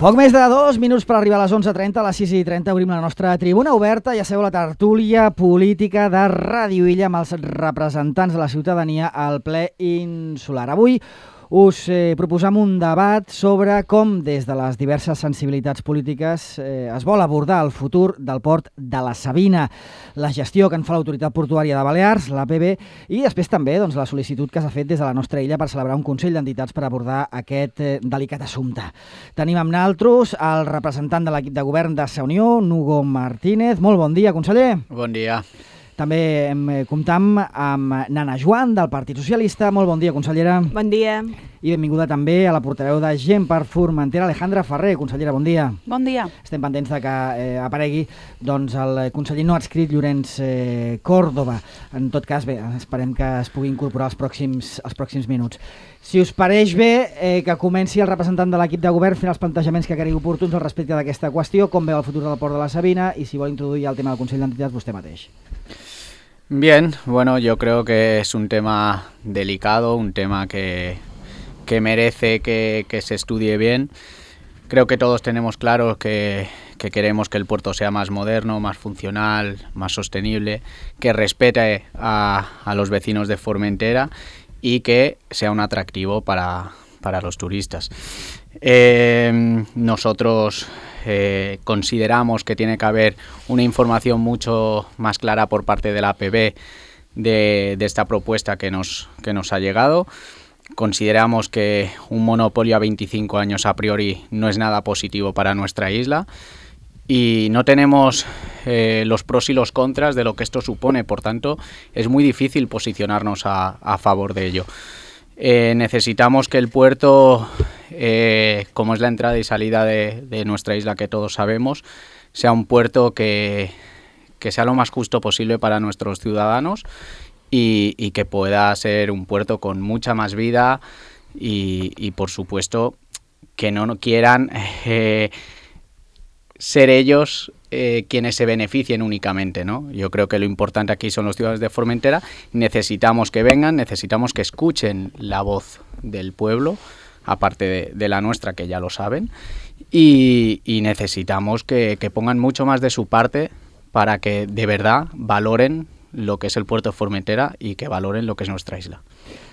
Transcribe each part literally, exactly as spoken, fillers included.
Poc més de dos minuts per arribar a les onze i trenta, a les sis i trenta obrim la nostra tribuna oberta. Ja sabeu, la tertúlia política de Ràdio Illa amb els representants de la ciutadania al ple insular. Avui us eh, proposam un debat sobre com des de les diverses sensibilitats polítiques eh, es vol abordar el futur del port de la Sabina, la gestió que en fa l'Autoritat Portuària de Balears, l'A P B, i després també doncs, la sol·licitud que s'ha fet des de la nostra illa per celebrar un Consell d'Entitats per abordar aquest eh, delicat assumpte. Tenim amb naltros el representant de l'equip de govern de Sa Unió, Nugo Martínez. Molt bon dia, conseller. Bon dia. També em comptam amb Nana Joan, del Partit Socialista. Molt bon dia, consellera. Bon dia. I benvinguda també a la portaveu de Gent per Formentera, Alejandra Ferrer. Consellera, bon dia. Bon dia. Estem pendents de que eh, aparegui doncs, el conseller no adscrit Llorenç eh, Córdoba. En tot cas, bé, esperem que es pugui incorporar els pròxims, els pròxims minuts. Si us pareix bé, eh, que comenci el representant de l'equip de govern fent els plantejaments que cregui oportuns al respecte d'aquesta qüestió, com veu el futur del port de la Sabina i si vol introduir el tema del Consell d'Entitats vostè mateix. Bien, bueno, yo creo que es un tema delicado, un tema que, que merece que, que se estudie bien. Creo que todos tenemos claro que, que queremos que el puerto sea más moderno, más funcional, más sostenible, que respete a, a los vecinos de Formentera y que sea un atractivo para, para los turistas. Eh, nosotros eh, consideramos que tiene que haber una información mucho más clara por parte de la A P B de, de esta propuesta que nos, que nos ha llegado. Consideramos que un monopolio a veinticinco años a priori no es nada positivo para nuestra isla y no tenemos eh, los pros y los contras de lo que esto supone, por tanto es muy difícil posicionarnos a, a favor de ello. Eh, necesitamos que el puerto, eh, como es la entrada y salida de, de nuestra isla que todos sabemos, sea un puerto que, que sea lo más justo posible para nuestros ciudadanos y, y que pueda ser un puerto con mucha más vida y, y por supuesto, que no quieran eh, ser ellos Eh, quienes se beneficien únicamente, ¿no? Yo creo que lo importante aquí son los ciudadanos de Formentera. Necesitamos que vengan, necesitamos que escuchen la voz del pueblo, aparte de, de la nuestra, que ya lo saben, y, y necesitamos que, que pongan mucho más de su parte para que de verdad valoren lo que es el puerto de Formentera y que valoren lo que es nuestra isla.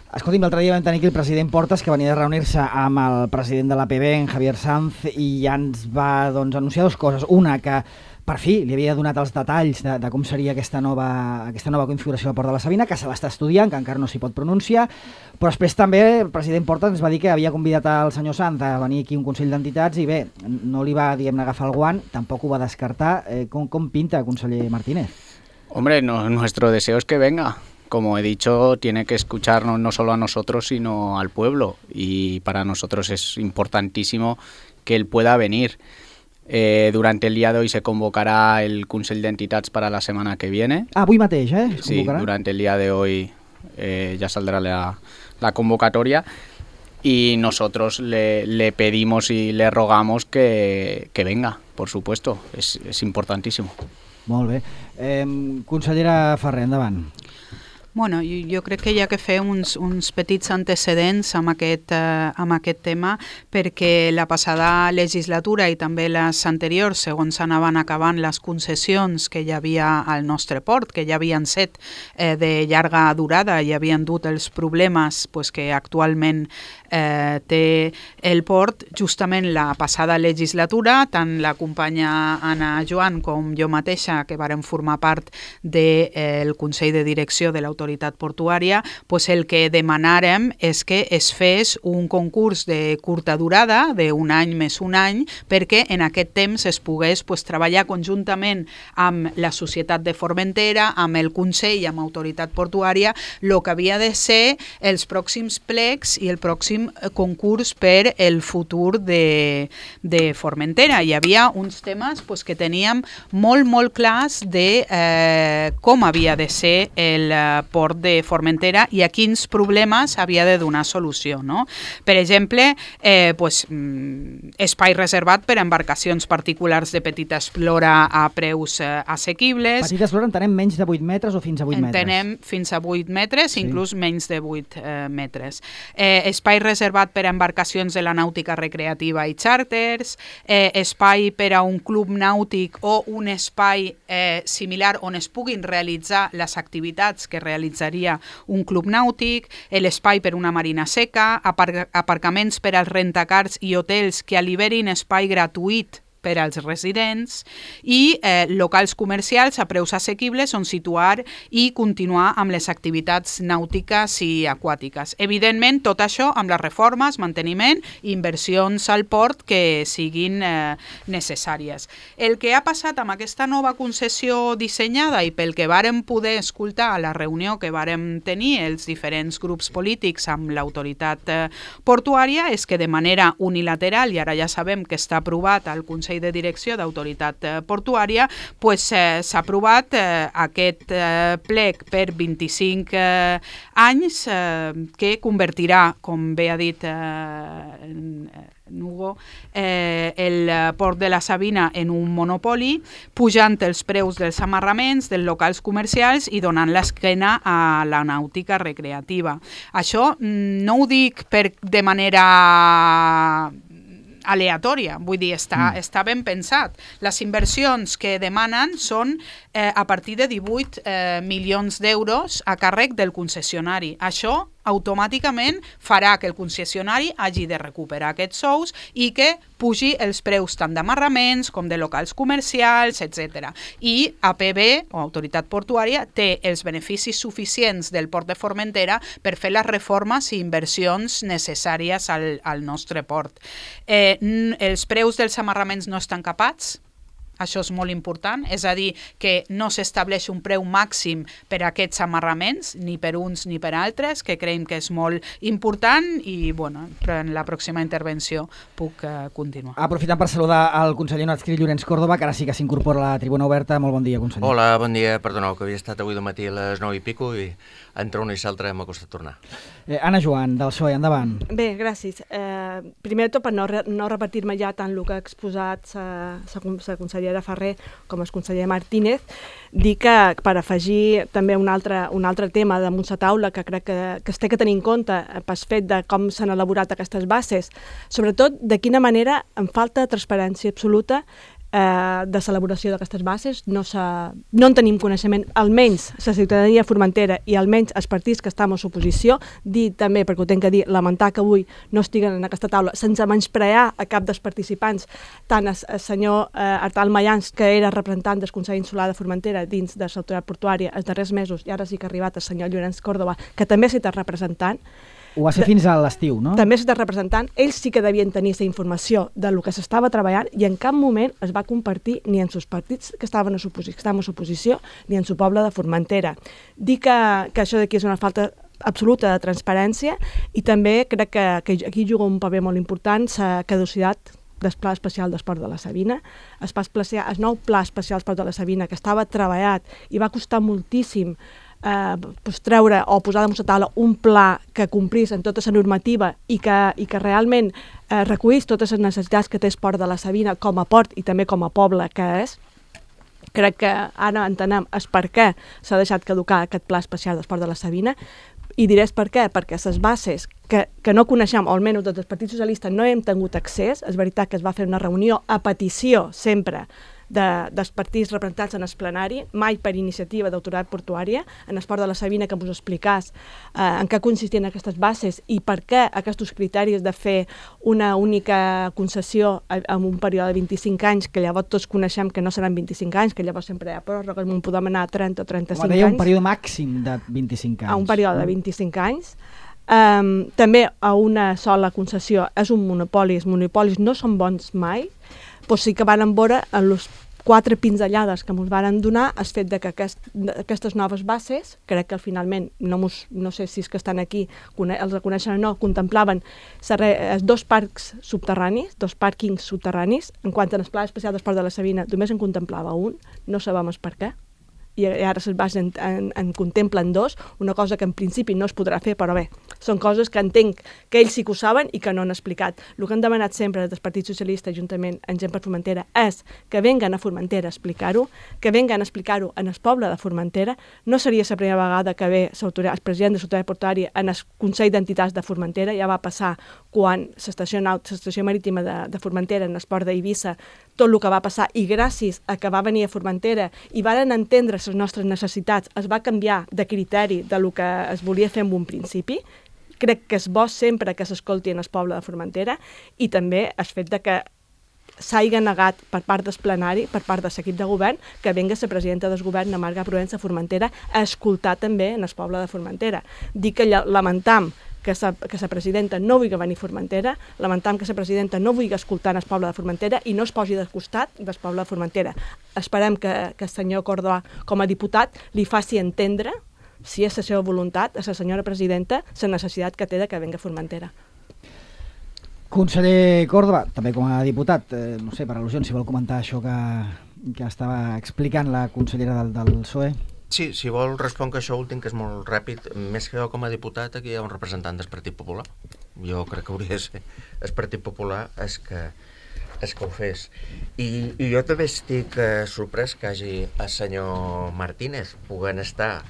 Escolti'm, l'altre dia vam tenir aquí el president Portas, que venia de reunir-se amb el president de l'A P B, en Javier Sanz, i ja ens va doncs, anunciar dues coses. Una, que per fi li havia donat els detalls de, de com seria aquesta nova, aquesta nova configuració del port de la Sabina, que se l'està estudiant, que encara no s'hi pot pronunciar, però després també el president Portas ens va dir que havia convidat el senyor Sanz a venir aquí a un Consell d'Entitats i bé, no li va, diguem-ne, agafar el guant, tampoc ho va descartar. Eh, com, com pinta, conseller Martínez? Hombre, no, nuestro deseo es que venga. Como he dicho, tiene que escucharnos no solo a nosotros, sino al pueblo. Y para nosotros es importantísimo que él pueda venir. Eh, durante el día de hoy se convocará el Consell d'Entitats para la semana que viene. Ah, avui mateix, eh? Es sí, durante el día de hoy eh, ya saldrá la, la convocatoria. Y nosotros le, le pedimos y le rogamos que, que venga, por supuesto. Es, es importantísimo. Molt bé. Eh, consellera Ferrer, endavant. Bueno, jo, jo crec que hi ha que fer uns, uns petits antecedents amb aquest, eh, amb aquest tema, perquè la passada legislatura i també les anteriors, segons anaven acabant les concessions que hi havia al nostre port, que ja havien set eh, de llarga durada i havien dut els problemes pues, que actualment eh, té el port, justament la passada legislatura, tant la companya Anna Joan com jo mateixa, que vàrem formar part del eh, Consell de Direcció de l'Autoritat Portuària, pues el que demanàrem és que es fes un concurs de curta durada, d'un any més un any, perquè en aquest temps es pogués pues, treballar conjuntament amb la Societat de Formentera, amb el Consell i amb l'Autoritat Portuària, el que havia de ser els pròxims plecs i el pròxim concurs per el futur de, de Formentera. Hi havia uns temes pues, que teníem molt, molt clars de eh, com havia de ser el port de Formentera i a quins problemes havia de donar solució. No? Per exemple, eh, pues, mm, espai reservat per a embarcacions particulars de petita esplora a preus eh, assequibles. Petita esplora entenem menys de vuit metres o fins a vuit metres? Entenem fins a vuit metres, sí. Inclús menys de vuit eh, metres. Eh, espai reservat per a embarcacions de la nàutica recreativa i xàrters, eh, espai per a un club nàutic o un espai eh, similar on es puguin realitzar les activitats que realitzaria un club nàutic, l'espai per una marina seca, apar aparcaments per als rentacars i hotels que alliberin espai gratuït per als residents i eh, locals comercials a preus assequibles on situar i continuar amb les activitats nàutiques i aquàtiques. Evidentment, tot això amb les reformes, manteniment i inversions al port que siguin eh, necessàries. El que ha passat amb aquesta nova concessió dissenyada i pel que vàrem poder escoltar a la reunió que vàrem tenir els diferents grups polítics amb l'autoritat eh, portuària és que de manera unilateral, i ara ja sabem que està aprovat al Consell de Direcció d'Autoritat eh, Portuària, pues, eh, s'ha aprovat eh, aquest eh, plec per vint-i-cinc eh, anys eh, que convertirà, com bé ha dit eh, Nugo, eh, el port de la Sabina en un monopoli, pujant els preus dels amarraments, dels locals comercials i donant l'esquena a la nàutica recreativa. Això no ho dic per, de manera aleatòria, vull dir, està, mm. està ben pensat. Les inversions que demanen són eh, a partir de divuit eh, milions d'euros a càrrec del concessionari. Això automàticament farà que el concessionari hagi de recuperar aquests sous i que pugi els preus tant d'amarraments com de locals comercials, etcètera. I A P B, o Autoritat Portuària, té els beneficis suficients del port de Formentera per fer les reformes i inversions necessàries al, al nostre port. Eh, els preus dels amarraments no estan capats. Això és molt important, és a dir, que no s'estableix un preu màxim per a aquests amarraments, ni per uns ni per altres, que creiem que és molt important i, bueno, en la pròxima intervenció puc uh, continuar. Aprofitant per saludar el conseller no adscrit Llorenç Córdoba, que ara sí que s'incorpora a la tribuna oberta. Molt bon dia, conseller. Hola, bon dia. Perdoneu, que havia estat avui de matí a les nou i pico i entre una i l'altra m'ha costat tornar. Eh, Anna Joan, del P S O E, endavant. Bé, gràcies. Eh, primer de tot, per no, re no repetir-me ja tant el que ha exposat la consellera Ferrer com el conseller Martínez, dir que per afegir també un altre, un altre tema damunt la taula que crec que, que es té que tenir en compte pel fet de com s'han elaborat aquestes bases, sobretot de quina manera en falta transparència absoluta eh, de l'elaboració d'aquestes bases, no, no en tenim coneixement, almenys la ciutadania formentera i almenys els partits que estem a l'oposició, dir també, perquè ho tenc que dir, lamentar que avui no estiguen en aquesta taula, sense menysprear a cap dels participants, tant el, el senyor eh, Artal Mayans, que era representant del Consell Insular de Formentera dins de l'autoritat portuària els darrers mesos, i ara sí que ha arribat el senyor Llorenç Córdoba, que també s'ha estat representant. Ho va ser fins a l'estiu, no? També s'ha estat representant. Ells sí que devien tenir aquesta informació de lo que s'estava treballant i en cap moment es va compartir ni en els partits que estaven a l'oposició ni en el poble de Formentera. Dir que, que això d'aquí és una falta absoluta de transparència i també crec que, que aquí juga un paper molt important la caducitat del Pla Especial d'Esport de la Sabina. El, especial, el nou Pla Especial d'Esport de la Sabina, que estava treballat i va costar moltíssim Eh, pues, treure o posar damunt la taula un pla que complís en tota la normativa i que, i que realment eh, recollís totes les necessitats que té el port de la Sabina com a port i també com a poble que és. Crec que ara entenem el per què s'ha deixat caducar aquest Pla Especial d'Esport de la Sabina i diré per què, perquè les bases que, que no coneixem, o almenys des del Partit Socialista no hem tingut accés, és veritat que es va fer una reunió a petició sempre De, dels partits representats en el plenari, mai per iniciativa d'autoritat portuària, en el port de la Sabina, que us explicàs eh, en què consistien aquestes bases i per què aquests criteris de fer una única concessió en un període de vint-i-cinc anys, que llavors tots coneixem que no seran vint-i-cinc anys, que llavors sempre hi ha pròrrogues, on podem anar a trenta o trenta-cinc anys. Home, deia un període màxim de vint-i-cinc anys. A un període de vint-i-cinc anys. Um, també a una sola concessió és un monopoli, els monopolis no són bons mai, però sí que van veure en les quatre pinzellades que ens van donar el fet de que aquest, aquestes noves bases, crec que finalment, no, mos, no sé si és que estan aquí, els reconeixen o no, contemplaven els dos parcs subterranis, dos pàrquings subterranis, en quant al Pla Especial d'Esport de la Sabina només en contemplava un, no sabem per què, i ara se'n basen en, en contemplen dos, una cosa que en principi no es podrà fer, però bé, són coses que entenc que ells sí que ho saben i que no han explicat. El que han demanat sempre des del Partit Socialista, juntament amb gent per Formentera, és que venguen a Formentera a explicar-ho, que venguen a explicar-ho en el poble de Formentera. No seria la primera vegada que ve el president de l'Autoritat Portuària en el Consell d'Entitats de Formentera, ja va passar quan l'estació l'estació marítima de, de Formentera en el port d'Eivissa, tot el que va passar, i gràcies a que va venir a Formentera i varen entendre les nostres necessitats, es va canviar de criteri de lo que es volia fer en un principi. Crec que és bo sempre que s'escolti en el poble de Formentera, i també el fet de que s'hagi negat per part del plenari, per part de l'equip de govern, que venga la presidenta del govern, Marga Provença a Formentera, a escoltar també en el poble de Formentera. Dic que lamentam que la que la presidenta no vulgui venir a Formentera, lamentam que la presidenta no vulgui escoltar el poble de Formentera i no es posi del costat del poble de Formentera. Esperem que, que el senyor Córdoba, com a diputat, li faci entendre, si és la seva voluntat, a la senyora presidenta, la necessitat que té de que venga a Formentera. Conseller Córdoba, també com a diputat, eh, no sé, per al·lusions, si vol comentar això que, que estava explicant la consellera del, del P S O E. Sí, si vol responc això últim, que és molt ràpid. Més que jo com a diputat, aquí hi ha un representant del Partit Popular. Jo crec que hauria de ser el Partit Popular és que, és que ho fes. I, i jo també estic eh, sorprès que hagi el senyor Martínez puguen estar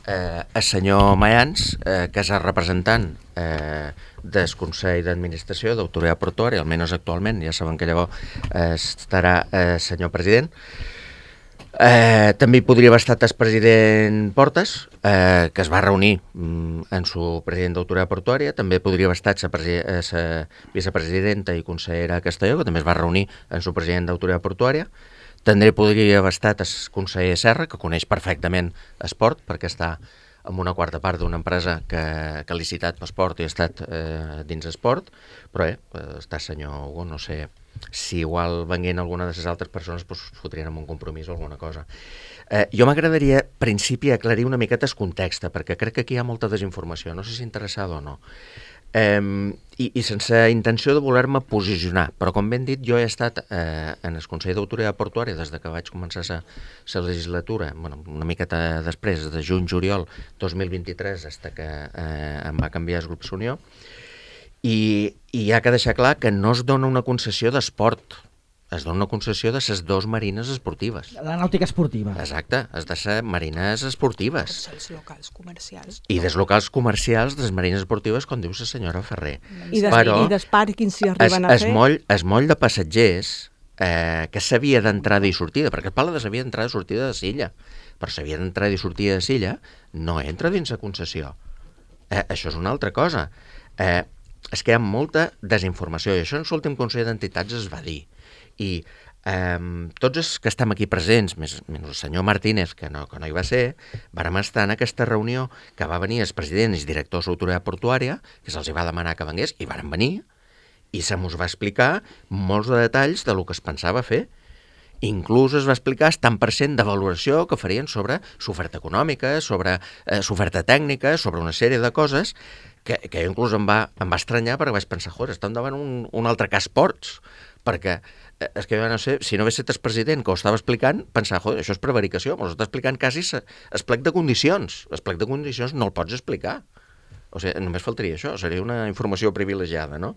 eh, el senyor Mayans, eh, que és el representant eh, del Consell d'Administració d'Autoritat Portuària, almenys actualment, ja saben que llavors eh, estarà el eh, senyor president. Eh, també hi podria haver estat el president Portes, eh, que es va reunir mm, en su president d'Autoritat Portuària. També podria haver estat la vicepresidenta i consellera Castelló, que també es va reunir en su president d'Autoritat Portuària. També podria haver estat el conseller Serra, que coneix perfectament esport, perquè està en una quarta part d'una empresa que, que ha licitat per esport i ha estat eh, dins esport, però eh, està el senyor Hugo, no sé si igual venguent alguna de les altres persones pues, fotrien en un compromís o alguna cosa. Eh, jo m'agradaria, principi, aclarir una miqueta el context, perquè crec que aquí hi ha molta desinformació, no sé si interessada o no. Eh, i, i sense intenció de voler-me posicionar, però com ben dit, jo he estat eh, en el Consell d'Autoritat Portuària des de que vaig començar la legislatura, bueno, una miqueta després, de juny-juliol dos mil vint-i-tres, fins que eh, em va canviar el grup Unió, i, i hi ha que deixar clar que no es dona una concessió d'esport, es dona una concessió de les dues marines esportives. La nàutica esportiva. Exacte, has de ser marines esportives. Els locals comercials. I des locals comercials, des marines esportives, com diu la senyora Ferrer. I des, Però, i des pàrquings si arriben es, a fer. Es moll, es moll de passatgers eh, que s'havia d'entrada i sortida, perquè es parla de s'havia d'entrada i sortida de Silla, però s'havia d'entrada i sortida de Silla no entra dins la concessió. Eh, això és una altra cosa. Eh, és que hi ha molta desinformació, i això en l'últim Consell d'Entitats es va dir. I eh, tots els que estem aquí presents, més, menys el senyor Martínez, que no, que no hi va ser, vàrem estar en aquesta reunió que va venir els presidents i directors de l'Autoritat Portuària, que se'ls va demanar que vengués, i varen venir, i se mos va explicar molts de detalls de lo que es pensava fer. Inclús es va explicar el tant per cent de valoració que farien sobre l'oferta econòmica, sobre eh, l'oferta tècnica, sobre una sèrie de coses que, que inclús em va, em va estranyar, perquè vaig pensar, joder, estem davant un, un altre cas Ports, perquè eh, és que jo no sé, si no hagués estat el president que ho estava explicant, pensar, joder, això és prevaricació, m'ho està explicant quasi el plec de condicions. El plec de condicions no el pots explicar. O sigui, només faltaria això, seria una informació privilegiada, no?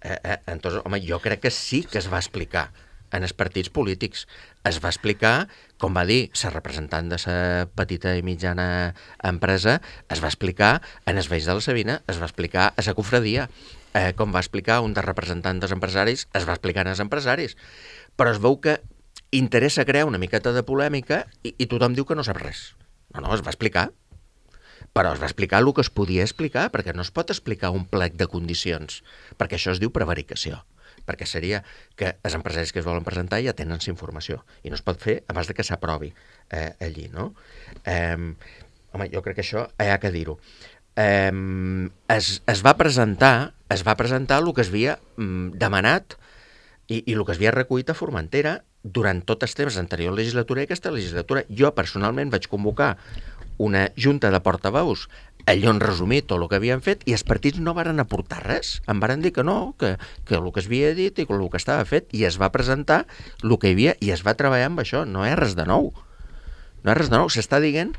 Eh, eh, entonces, home, jo crec que sí que es va explicar en els partits polítics. Es va explicar, com va dir la representant de la petita i mitjana empresa, es va explicar en els veïns de la Sabina, es va explicar a la cofradia, eh, com va explicar un dels representants dels empresaris, es va explicar als empresaris. Però es veu que interessa crear una miqueta de polèmica i, i tothom diu que no sap res. No, no, es va explicar. Però es va explicar el que es podia explicar, perquè no es pot explicar un plec de condicions, perquè això es diu prevaricació. Perquè seria que els empresaris que es volen presentar ja tenen la informació i no es pot fer abans de que s'aprovi eh, allí, no? Eh, home, jo crec que això hi ha que dir-ho. Eh, es, es va presentar es va presentar el que es havia mm, demanat i, i el que es havia recollit a Formentera durant tot el temps anterior legislatura i aquesta legislatura. Jo personalment vaig convocar una junta de portaveus allò en resumir tot el que havien fet i els partits no varen aportar res. Em varen dir que no, que, que el que es havia dit i que el que estava fet, i es va presentar el que hi havia i es va treballar amb això, no hi ha res de nou. No hi ha res de nou, s'està dient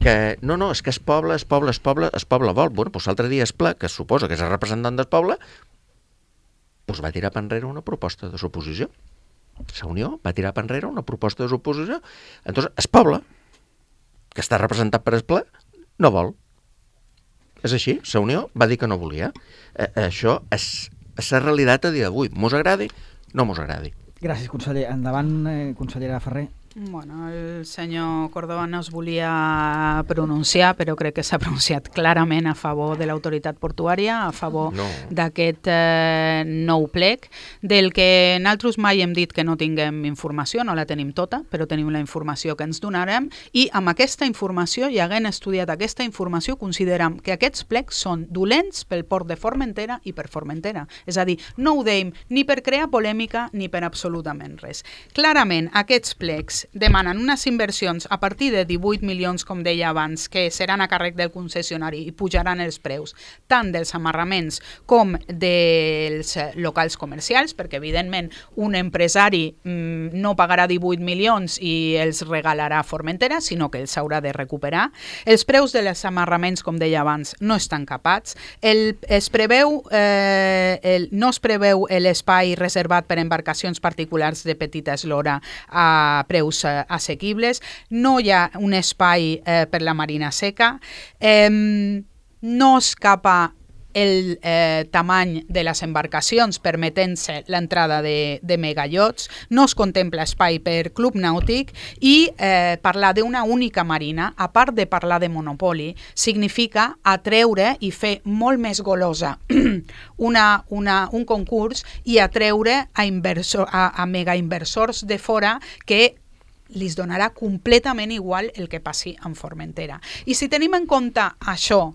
que no, no, és que es poble, es poble, es poble, es poble vol. Bueno, doncs l'altre dia es Pla, que es suposa que és el representant del poble, doncs va tirar per enrere una proposta de suposició. La Unió va tirar per enrere una proposta de suposició. Entonces, es poble, que està representat per el Pla, no vol. És així, la Unió va dir que no volia. Eh, això és, és la realitat a dia d'avui. Mos agradi, no mos agradi. Gràcies, conseller. Endavant, eh, consellera Ferrer. Bueno, el senyor Córdoba no es volia pronunciar, però crec que s'ha pronunciat clarament a favor de l'autoritat portuària, a favor no. d'aquest eh, nou plec, del que nosaltres mai hem dit que no tinguem informació, no la tenim tota, però tenim la informació que ens donarem, i amb aquesta informació, i havent estudiat aquesta informació, considerem que aquests plecs són dolents pel port de Formentera i per Formentera. És a dir, no ho deim ni per crear polèmica ni per absolutament res. Clarament, aquests plecs demanen unes inversions a partir de divuit milions, com deia abans, que seran a càrrec del concessionari i pujaran els preus tant dels amarraments com dels locals comercials, perquè evidentment un empresari mmm, no pagarà divuit milions i els regalarà a Formentera, sinó que els haurà de recuperar. Els preus dels amarraments, com deia abans, no estan capats. El, es preveu, eh, el, no es preveu l'espai reservat per embarcacions particulars de petita eslora a preus assequibles, no hi ha un espai eh, per la marina seca, eh, no escapa el eh, tamany de les embarcacions permetent-se l'entrada de, de megayots, no es contempla espai per club nàutic i eh, parlar d'una única marina, a part de parlar de monopoli, significa atreure i fer molt més golosa una, una, un concurs i atreure a, inversor, a, a megainversors de fora que li donarà completament igual el que passi en Formentera. I si tenim en compte això,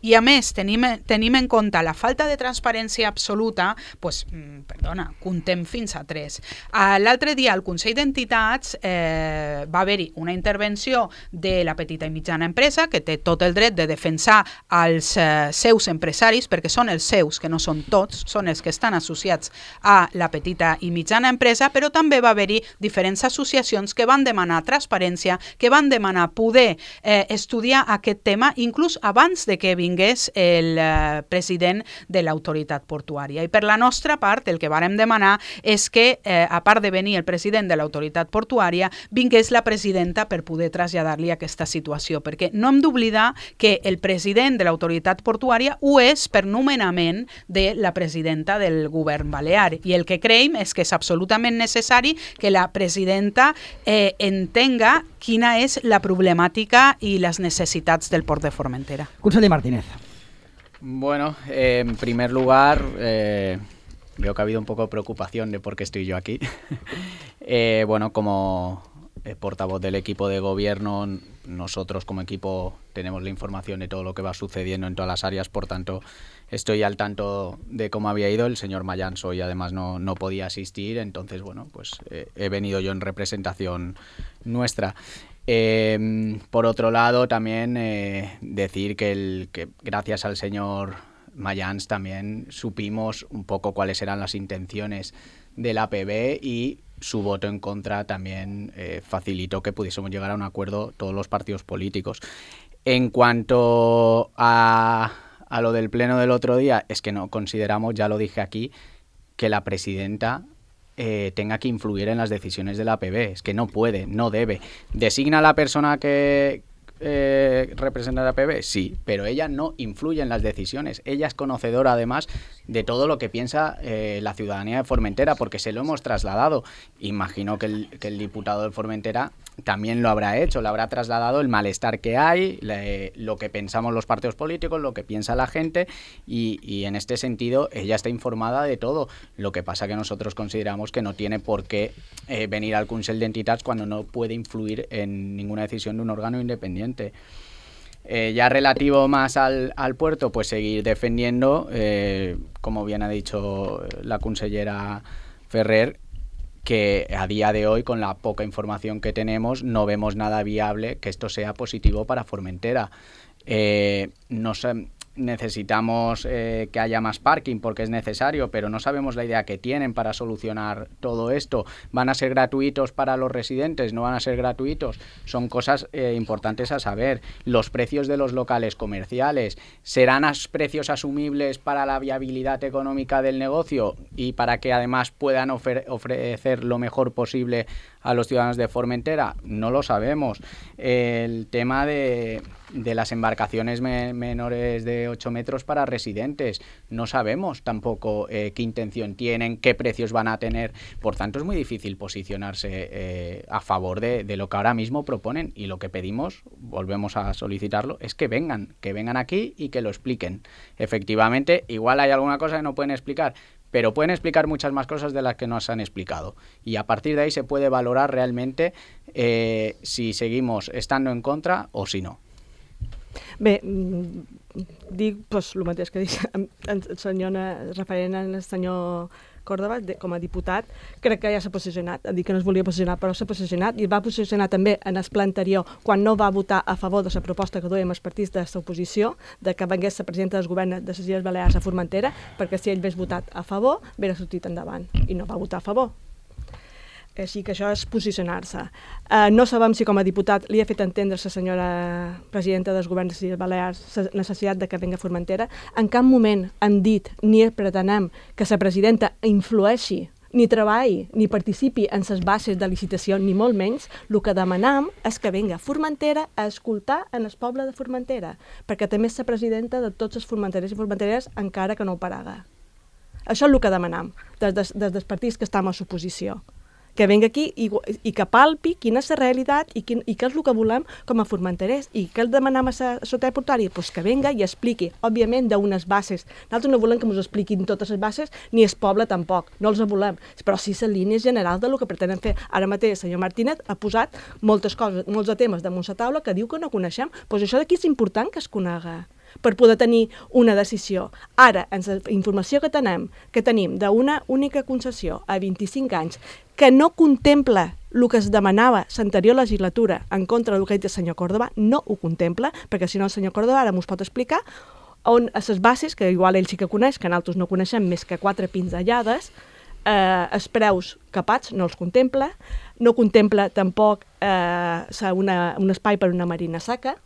i a més tenim, tenim en compte la falta de transparència absoluta, doncs, perdona, comptem fins a tres. L'altre dia al Consell d'Entitats eh, va haver-hi una intervenció de la petita i mitjana empresa que té tot el dret de defensar els eh, seus empresaris, perquè són els seus, que no són tots, són els que estan associats a la petita i mitjana empresa, però també va haver-hi diferents associacions que van demanar transparència, que van demanar poder eh, estudiar aquest tema, inclús abans de que vingués el eh, president de l'autoritat portuària. I per la nostra part, el que vàrem demanar és que, eh, a part de venir el president de l'autoritat portuària, vingués la presidenta per poder traslladar-li aquesta situació, perquè no hem d'oblidar que el president de l'autoritat portuària ho és per nomenament de la presidenta del govern balear. I el que creiem és que és absolutament necessari que la presidenta eh, entenga quina és la problemàtica i les necessitats del port de Formentera. Conseller Martínez. Bueno, eh, en primer lugar, eh, veo que ha habido un poco de preocupación de por qué estoy yo aquí. eh, bueno, como eh, portavoz del equipo de gobierno, nosotros como equipo tenemos la información de todo lo que va sucediendo en todas las áreas, por tanto, estoy al tanto de cómo había ido. El señor Mayans hoy además no, no podía asistir, entonces, bueno, pues eh, he venido yo en representación nuestra. Eh, por otro lado, también eh, decir que, el, que gracias al señor Mayans también supimos un poco cuáles eran las intenciones del A P B y su voto en contra también eh, facilitó que pudiésemos llegar a un acuerdo todos los partidos políticos. En cuanto a, a lo del pleno del otro día, es que no consideramos, ya lo dije aquí, que la presidenta Eh, tenga que influir en las decisiones de la A P B. Es que no puede, no debe. ¿Designa a la persona que eh, representa a la A P B? Sí, pero ella no influye en las decisiones. Ella es conocedora, además, de todo lo que piensa eh, la ciudadanía de Formentera, porque se lo hemos trasladado. Imagino que el, que el diputado de Formentera también lo habrá hecho, le habrá trasladado el malestar que hay, le, lo que pensamos los partidos políticos, lo que piensa la gente, y, y en este sentido ella está informada de todo. Lo que pasa que nosotros consideramos que no tiene por qué eh, venir al Consell d'Entitats cuando no puede influir en ninguna decisión de un órgano independiente. Eh, ya relativo más al, al puerto, pues seguir defendiendo, eh, como bien ha dicho la consellera Ferrer, que a día de hoy, con la poca información que tenemos, no vemos nada viable que esto sea positivo para Formentera. Eh, nos, necesitamos eh, que haya más parking porque es necesario, pero no sabemos la idea que tienen para solucionar todo esto. ¿Van a ser gratuitos para los residentes? ¿No van a ser gratuitos? Son cosas eh, importantes a saber. Los precios de los locales comerciales, ¿serán as- precios asumibles para la viabilidad económica del negocio y para que además puedan ofer- ofrecer lo mejor posible a los ciudadanos de Formentera? No lo sabemos. El tema de, de las embarcaciones me, menores de ocho metros para residentes, no sabemos tampoco eh, qué intención tienen, qué precios van a tener. Por tanto, es muy difícil posicionarse eh, a favor de, de lo que ahora mismo proponen, y lo que pedimos, volvemos a solicitarlo, es que vengan, que vengan aquí y que lo expliquen. Efectivamente, igual hay alguna cosa que no pueden explicar, pero pueden explicar muchas más cosas de las que nos han explicado. Y a partir de ahí se puede valorar realmente eh, si seguimos estando en contra o si no. Bé, dic doncs, el mateix que dic el senyor, referent al senyor Córdoba, de, com a diputat, crec que ja s'ha posicionat, ha dit que no es volia posicionar, però s'ha posicionat, i va posicionar també en el ple anterior, quan no va votar a favor de la proposta que duiem els partits de l'oposició, de que vengués la presidenta del govern de les Illes Balears a Formentera, perquè si ell hagués votat a favor, hauria sortit endavant, i no va votar a favor. Així que això és posicionar-se. Uh, no sabem si com a diputat li ha fet entendre la senyora presidenta del govern de les Illes Balears la necessitat de que venga a Formentera. En cap moment hem dit ni pretenem que la presidenta influeixi, ni treballi, ni participi en les bases de licitació, ni molt menys. El que demanem és que venga a Formentera a escoltar en el poble de Formentera, perquè també és la presidenta de tots els formenterers i formenteres, encara que no ho paraga. Això és el que demanem des, des, des dels partits que estem a l'oposició. Que venga aquí i, i que palpi quina és la realitat i, quin, i què és el que volem com a formenterers. I què el demanem a la societat portuària? Pues que venga i expliqui, òbviament, d'unes bases. Nosaltres no volem que ens expliquin totes les bases, ni el poble tampoc, no els volem, però sí les línies generals del que pretenen fer. Ara mateix el senyor Martínez ha posat moltes coses, molts de temes damunt la taula que diu que no coneixem. Pues això d'aquí és important que es conega per poder tenir una decisió. Ara, en la informació que tenim, que tenim d'una única concessió a vint-i-cinc anys, que no contempla el que es demanava l'anterior legislatura en contra del que ha dit el senyor Córdoba, no ho contempla, perquè si no el senyor Córdoba ara m'ho pot explicar, on a les bases, que igual ell sí que coneix, que nosaltres no coneixem més que quatre pinzellades, eh, els preus capats no els contempla, no contempla tampoc eh, una, un espai per una marina seca,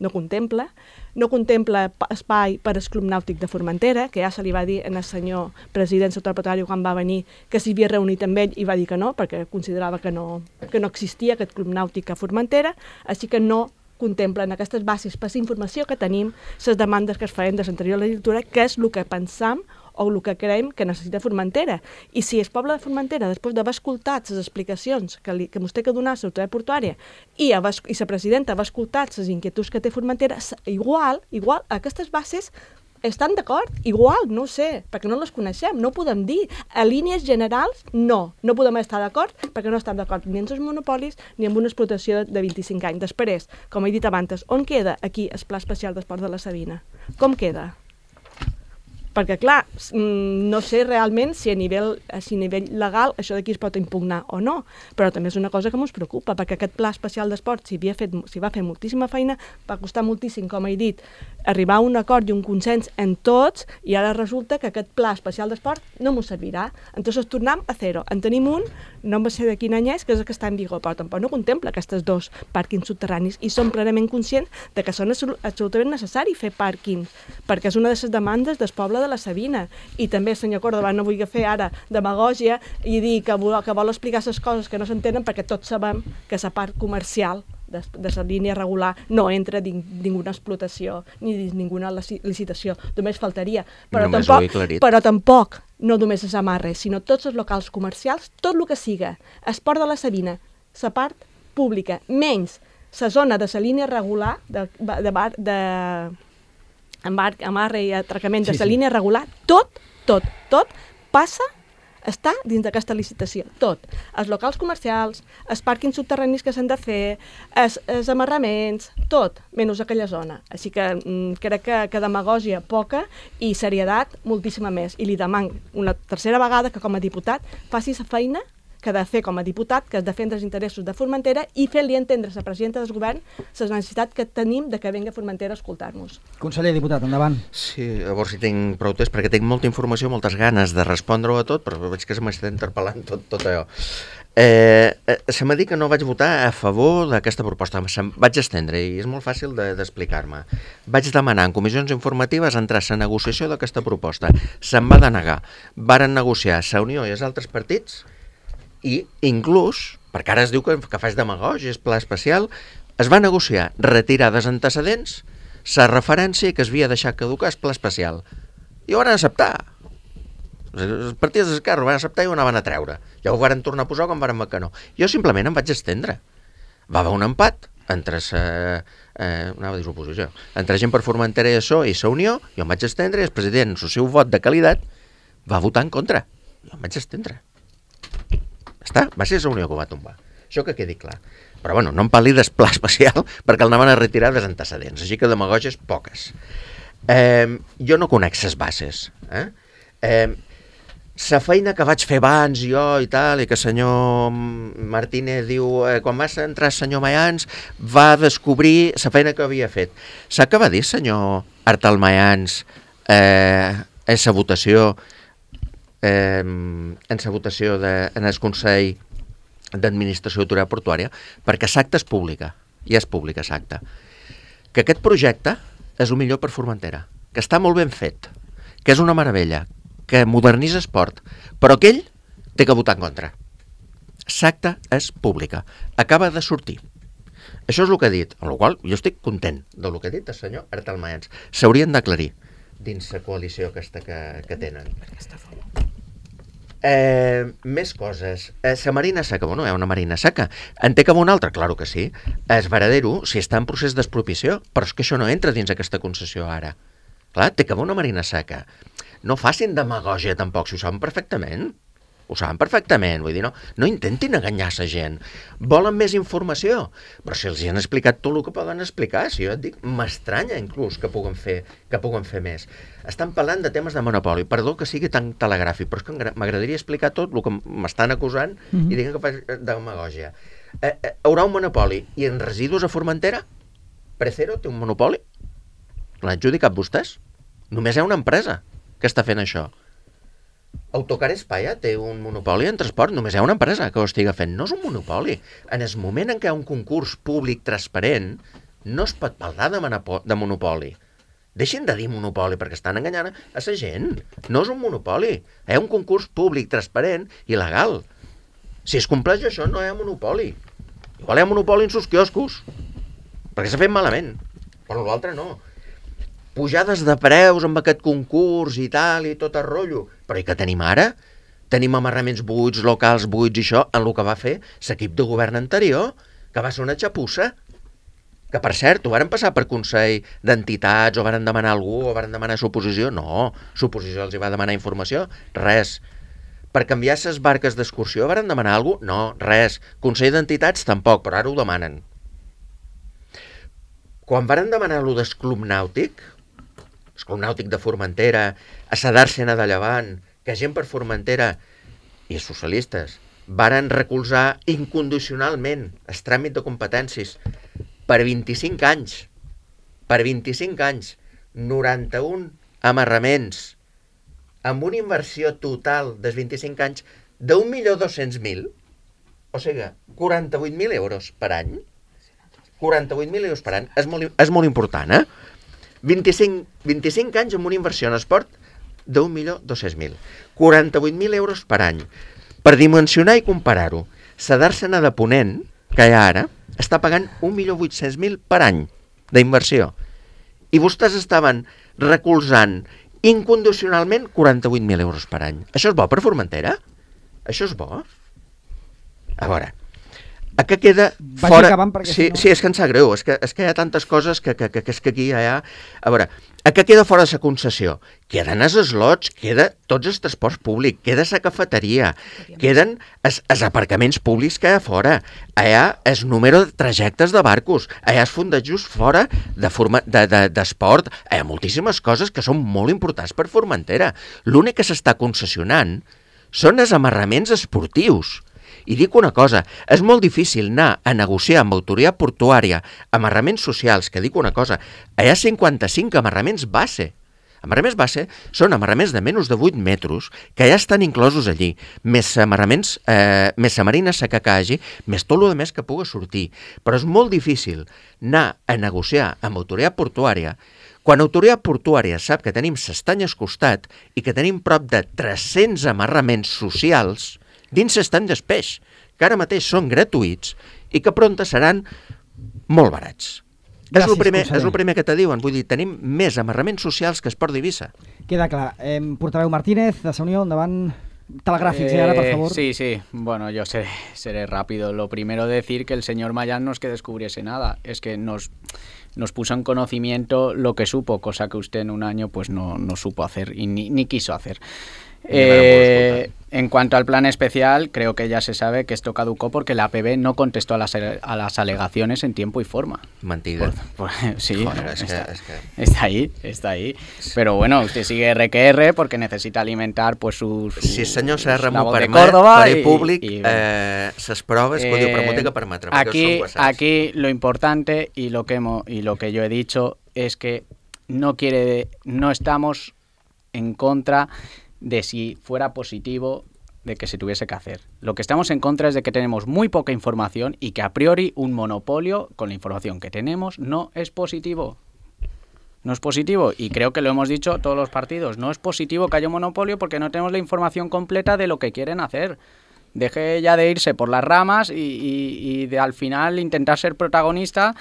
no contempla, no contempla espai per al Club Nàutic de Formentera, que ja se li va dir al senyor president secretari quan va venir que s'hi havia reunit amb ell i va dir que no, perquè considerava que no, que no existia aquest Club Nàutic a Formentera, així que no contemplen aquestes bases per la informació que tenim, les demandes que es feien de l'anterior legislatura, que és el que pensam o el que creiem que necessita Formentera. I si el poble de Formentera, després d'haver escoltat les explicacions que, li, que ens té que donar la autoritat portuària i, haver, i la presidenta haver escoltat les inquietuds que té Formentera, igual, igual aquestes bases estan d'acord, igual, no ho sé, perquè no les coneixem, no ho podem dir. A línies generals, no, no podem estar d'acord perquè no estem d'acord ni amb els monopolis ni amb una explotació de vint-i-cinc anys. Després, com he dit abans, on queda aquí el Pla Especial d'Esports de la Sabina? Com queda? Perquè, clar, no sé realment si a nivell, si a nivell legal això d'aquí es pot impugnar o no, però també és una cosa que ens preocupa, perquè aquest Pla Especial d'Esport, si, si va fer moltíssima feina, va costar moltíssim, com he dit, arribar a un acord i un consens en tots, i ara resulta que aquest Pla Especial d'Esport no ens servirà. Entonces tornem a zero. En tenim un, no em sé de quin any és, que és el que està en vigor, però tampoc no contempla aquests dos pàrquings subterranis, i som plenament conscients de que són absolutament necessari fer pàrquings, perquè és una de les demandes del poble de la Sabina. I també el senyor Córdoba no vull fer ara demagògia i dir que vol, que vol explicar les coses que no s'entenen, perquè tots sabem que la part comercial de, de la línia regular no entra dins ninguna explotació ni dins ninguna licitació, només faltaria. Però, només tampoc, però tampoc no només els amarres, sinó tots els locals comercials, tot el que siga esport de la Sabina, la part pública, menys la zona de la línia regular de, de, bar, de embarc, amarre i atracament de la sí, línia sí. regular, tot, tot, tot passa, està dins d'aquesta licitació, tot. Els locals comercials, els pàrquings subterranis que s'han de fer, els, els amarraments, tot, menys aquella zona. Així que mm, crec que, que demagògia poca i serietat moltíssima més. I li demano una tercera vegada que com a diputat faci la feina que ha de fer com a diputat, que és defendre els interessos de Formentera i fer-li entendre a la presidenta del govern la necessitat que tenim de que vengui a Formentera a escoltar-nos. Conseller, diputat, endavant. Sí, a veure si tinc prou temps, perquè tinc molta informació, moltes ganes de respondre-ho a tot, però veig que se m'està interpel·lant tot, tot allò. Eh, eh, se m'ha dit que no vaig votar a favor d'aquesta proposta, se'm vaig estendre i és molt fàcil de, d'explicar-me. Vaig demanar en comissions informatives entrar a la negociació d'aquesta proposta, se'm va denegar. Varen negociar la Unió i els altres partits i inclús, perquè ara es diu que, que faig demagògia, és pla especial, es va negociar retirar dels antecedents la referència que es havia deixat caducar el pla especial i ho van acceptar. Els partits d'Esquerra ho van acceptar i ho anaven a treure. Ja ho van tornar a posar quan van que no. Jo simplement em vaig estendre. Va haver un empat entre la eh, anava a dir l'oposició, entre gent per Formentera i això i la Unió, jo em vaig estendre i el president, el seu vot de qualitat, va votar en contra. Jo em vaig estendre. Està? Va ser la Unió que ho va tombar. Això que quedi clar. Però bueno, no em parli del pla especial perquè el anaven a retirar dels antecedents, així que demagògies poques. Eh, jo no conec les bases. Eh? Eh, la feina que vaig fer abans jo i tal, i que el senyor Martínez diu, eh, quan va entrar el senyor Mayans va descobrir la feina que havia fet. Sap què va dir el senyor Artal Mayans eh, en la votació eh, en la votació de, en el Consell d'Administració Autoritat Portuària? Perquè l'acta és pública, i és pública l'acta, que aquest projecte és el millor per Formentera, que està molt ben fet, que és una meravella, que modernitza esport, però aquell té que votar en contra. L'acta és pública, acaba de sortir. Això és el que ha dit, amb la qual jo estic content del que ha dit el senyor Artal Mayans. S'haurien d'aclarir dins la coalició aquesta que, que tenen. Eh, més coses. Eh, la marina seca, bueno, hi ha una marina seca. En té com una altra? Claro que sí. Es Varadero, si està en procés d'expropiació, però és que això no entra dins aquesta concessió ara. Clar, té que haver una marina seca. No facin demagògia tampoc, si ho saben perfectament. Ho saben perfectament, vull dir, no, no intentin enganyar la gent. Volen més informació, però si els hi han explicat tot el que poden explicar, si jo et dic, m'estranya inclús que puguen fer, que puguen fer més. Estan parlant de temes de monopoli, perdó que sigui tan telegràfic, però és que m'agradaria explicar tot el que m'estan acusant mm-hmm. i diguen que faig demagògia. Eh, eh, haurà un monopoli, i en residus a Formentera? Precero té un monopoli? L'han adjudicat vostès? Només hi ha una empresa que està fent això. Autocar España té un monopoli en transport, només hi ha una empresa que ho estiga fent. No és un monopoli. En el moment en què hi ha un concurs públic transparent, no es pot parlar de, de monopoli. Deixin de dir monopoli perquè estan enganyant a la gent. No és un monopoli. Hi ha un concurs públic transparent i legal. Si es compleix això, no hi ha monopoli. Igual hi ha monopoli en sus quioscos, perquè s'ha fet malament, però l'altre no. Pujades de preus amb aquest concurs i tal, i tot el rotllo. Però i què tenim ara? Tenim amarraments buits, locals buits i això, en el que va fer l'equip de govern anterior, que va ser una xapussa. Que, per cert, ho varen passar per Consell d'Entitats, o varen demanar algú, o varen demanar suposició? No, suposició els hi va demanar informació? Res. Per canviar les barques d'excursió varen demanar alguna cosa? No, res. Consell d'Entitats tampoc, però ara ho demanen. Quan varen demanar allò del Club Nàutic, el Club Nàutic de Formentera, a la Dàrsena de Llevant, que gent per Formentera i els socialistes varen recolzar incondicionalment el tràmit de competències per vint-i-cinc anys, per vint-i-cinc anys, noranta-un amarraments, amb una inversió total dels vint-i-cinc anys d'un milió dos-cents mil, o sigui, quaranta-vuit mil euros per any, quaranta-vuit mil euros per any, és molt, és molt important, eh? vint-i-cinc, vint-i-cinc anys amb una inversió en esport d'un milió dos-cents mil. quaranta-vuit mil euros per any. Per dimensionar i comparar-ho, la Dàrsena de Ponent, que hi ha ara, està pagant un milió vuit-cents mil per any d'inversió. I vostès estaven recolzant incondicionalment quaranta-vuit mil euros per any. Això és bo per Formentera? Això és bo? A veure, a què queda fora... Sí, si no... sí, és que em sap greu, és que, és que hi ha tantes coses que, que, que, que és que aquí hi ha... A veure, a què queda fora de la concessió? Queden els eslots, queda tots els transports públics, queda la cafeteria, queden els, els aparcaments públics que hi ha fora, hi ha el número de trajectes de barcos, hi ha els fundejos fora de forma, de, de, d'esport, hi ha moltíssimes coses que són molt importants per Formentera. L'únic que s'està concessionant són els amarraments esportius. I dic una cosa, és molt difícil anar a negociar amb autoria portuària amarraments socials, que dic una cosa, hi ha cinquanta-cinc amarraments base. Amarraments base són amarraments de menys de vuit metres que ja estan inclosos allí, més amarraments, eh, més samarina seca que hagi, més tot el més que pugui sortir. Però és molt difícil anar a negociar amb autoria portuària quan autoria portuària sap que tenim s'estany al costat i que tenim prop de tres-cents amarraments socials dins s'estany del peix, que ara mateix són gratuïts i que prompte seran molt barats. Gràcies, és el primer, és el primer que te diuen, vull dir, tenim més amarraments socials que es Port d'Eivissa. Queda clar. Eh, portaveu Martínez, de Unió, endavant. Telegràfics, eh, ara, por favor. Sí, sí. Bueno, yo seré, seré rápido. Lo primero decir que el señor Mayán no es que descubriese nada, es que nos, nos puso en conocimiento lo que supo, cosa que usted en un año pues no, no supo hacer y ni, ni quiso hacer. Eh, en cuanto al plan especial, creo que ya se sabe que esto caducó porque la A P B no contestó a las, a las alegaciones en tiempo y forma. Mentira. Por, por, sí, Joder, es está, que, es que... está ahí, está ahí. Pero bueno, usted sigue R que R porque necesita alimentar pues sus... Su, si el senyor Serra m'ho permet, faré públic i, i, eh, ses proves que eh, ho diu, però m'ho té que permetre. Aquí, aquí lo importante y lo, que hemos, y lo que yo he dicho es que no quiere, no estamos en contra de si fuera positivo de que se tuviese que hacer. Lo que estamos en contra es de que tenemos muy poca información y que a priori un monopolio con la información que tenemos no es positivo. No es positivo y creo que lo hemos dicho todos los partidos. No es positivo que haya un monopolio porque no tenemos la información completa de lo que quieren hacer. Deje ya de irse por las ramas y, y, y de al final intentar ser protagonista.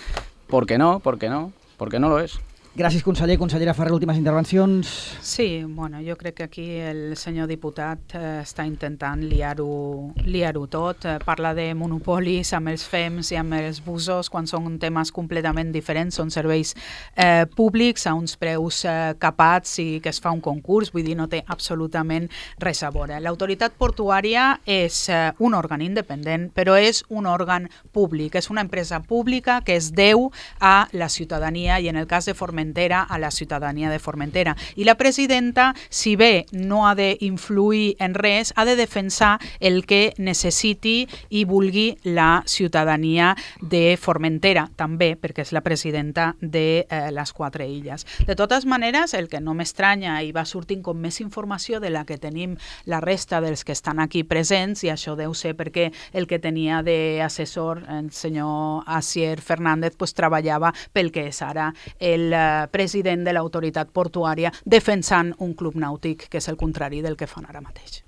¿Por qué no? ¿Por qué no? Porque no lo es. Gràcies, conseller. Consellera Ferrer, últimes intervencions. Sí, bueno, jo crec que aquí el senyor diputat eh, està intentant liar-ho liar-ho tot. Eh, parla de monopolis amb els F E Ms i amb els busos quan són temes completament diferents, són serveis eh, públics a uns preus eh, capats i que es fa un concurs, vull dir, no té absolutament res a veure. L'autoritat portuària és eh, un òrgan independent, però és un òrgan públic, és una empresa pública que es deu a la ciutadania i en el cas de Formentera a la ciutadania de Formentera. I la presidenta, si bé no ha d'influir en res, ha de defensar el que necessiti i vulgui la ciutadania de Formentera, també, perquè és la presidenta de eh, les quatre illes. De totes maneres, el que no m'estranya i va sortint com més informació de la que tenim la resta dels que estan aquí presents, i això deu ser perquè el que tenia d'assessor, el senyor Asier Fernández, pues, treballava pel que és ara el president de l'autoritat portuària defensant un club nàutic que és el contrari del que fan ara mateix.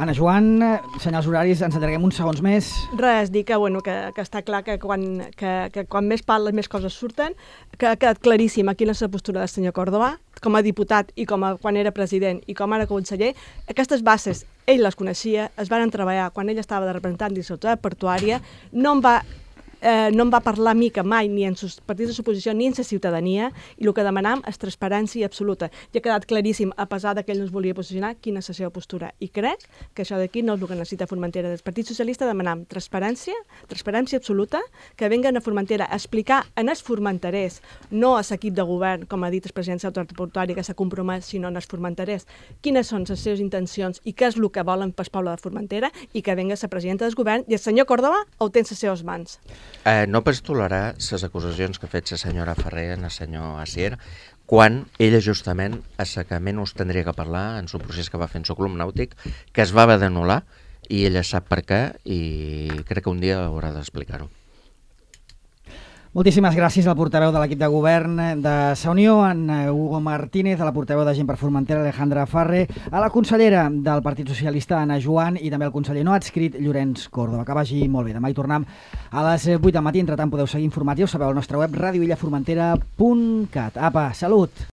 Anna Joan, senyals horaris, ens allarguem uns segons més. Res, dir que, bueno, que, que està clar que quan, que, que quan més parles més coses surten, que ha quedat claríssim quina és la postura del senyor Córdoba, com a diputat i com a, quan era president i com ara conseller. Aquestes bases ell les coneixia, es van treballar quan ell estava de representant de l'autoritat portuària, no en va Eh, no em va parlar mica mai ni en sus partits de suposició ni en la ciutadania i el que demanam és transparència absoluta. Ja ha quedat claríssim, a pesar que ell no es volia posicionar, quina és la seva postura. I crec que això d'aquí no és el que necessita Formentera. Del Partit Socialista demanam transparència, transparència absoluta, que venguen a Formentera a explicar en els formenterers, no a l'equip de govern, com ha dit el president de l'autoritat portuària, que s'ha compromès, sinó en els formenterers, quines són les seves intencions i què és el que volen pel poble de Formentera, i que venga la presidenta del govern i el senyor Córdoba ho té en les seves mans. Eh, no pots tolerar les acusacions que ha fet la senyora Ferrer en el senyor Asier quan ella justament a la que menys tindria que parlar en el procés que va fer en el club nàutic, que es va haver d'anul·lar i ella sap per què i crec que un dia haurà d'explicar-ho. Moltíssimes gràcies al portaveu de l'equip de govern de la Unió, en Hugo Martínez, a la portaveu de Gent per Formentera, Alejandra Farre, a la consellera del Partit Socialista, Anna Joan, i també al conseller no adscrit, Llorenç Córdoba. Que vagi molt bé. Demà hi tornem a les vuit del matí. Entretant podeu seguir informatius, sabeu al nostre web radio illa formentera punt cat. Apa, salut!